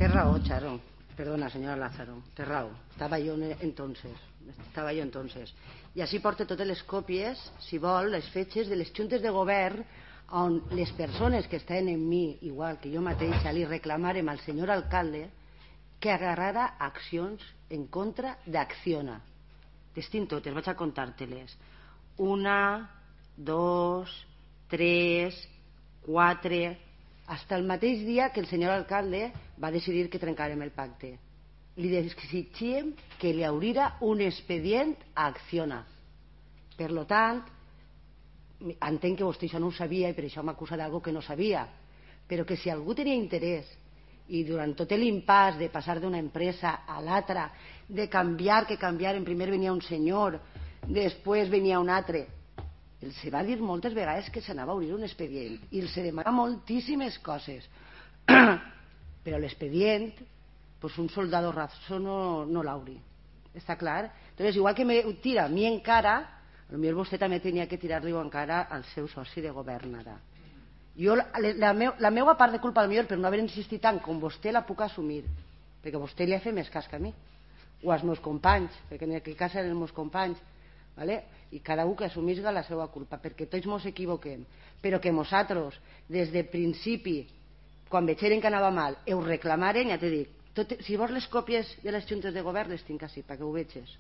Té raó, Charo. Perdona, senyora Lázaro. Té raó. Estava jo entonces. I així porta totes les còpies, si vol, les fetges de les juntes de govern on les persones que estaven en mi, igual que jo mateixa, li reclamarem al senyor alcalde que agarrara accions en contra d'Acciona. Les tinc totes, vaig a contar-te-les. 1, 2, 3, 4... Hasta el mateix dia que el senyor alcalde va decidir que trencarem el pacte. Li exigíem que li obrira un expedient a Acciona. Per lo tant, entenc que vostè això no ho sabia i per això m'acusa d'algo que no sabia, però que si algú tenia interès i durant tot l'impàs de passar d'una empresa a l'altra, de canviar, que canviaren, primer venia un senyor, després venia un altre, els va dir moltes vegades que s'anava a obrir un expedient i els demana moltíssimes coses però l'expedient pues un soldado raso no l'obri, està clar? Entonces, igual que me tira a mi encara, potser vostè també tenia que tirar-li encara al seu soci de govern ara. Jo la meva part de culpa potser per no haver insistit tant com vostè la puc assumir, perquè vostè li ha fet més cas que a mi o als meus companys, perquè en aquest cas eren els meus companys, ¿vale? I cada un que assumisca la seva culpa, perquè tots ens equivoquem, però que nosaltres des del principi, quan veieren que anava mal, ho reclamaren, ja t'he dit, si vols les còpies de les juntes de govern les tinc així, perquè ho vegis.